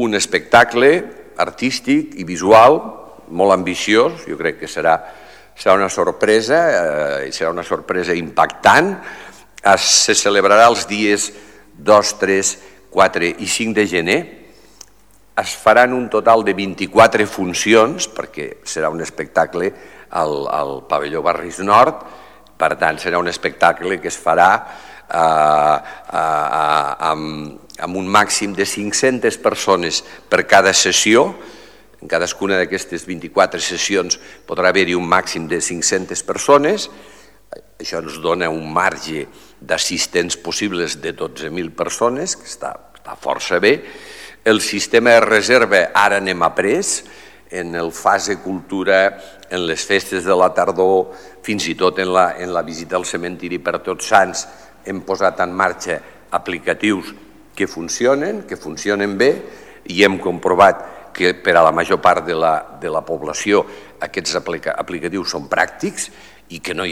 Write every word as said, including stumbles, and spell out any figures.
un espectacle artístic i visual molt ambiciós, jo crec que serà, serà una sorpresa, eh, i serà una sorpresa impactant. Es, se celebrarà els dies dos, tres, quatre i cinc de gener. Es faran un total de vint-i-quatre funcions, perquè serà un espectacle al, al pavelló Barris Nord, per tant serà un espectacle que es farà eh, eh, amb, amb un màxim de cinc-centes persones per cada sessió. En cadascuna d'aquestes vint-i-quatre sessions podrà haver-hi un màxim de cinc-centes persones. Això ens dona un marge d'assistents possibles de dotze mil persones, que està, està força bé. El sistema de reserva ara anem a pres, en el fase cultura, en les festes de la tardor, fins i tot en la, en la visita al cementiri per Tots Sants, hem posat en marxa aplicatius que funcionen, que funcionen bé, i hem comprovat que per a la major part de la, de la població aquests aplica, aplicatius són pràctics i que no hi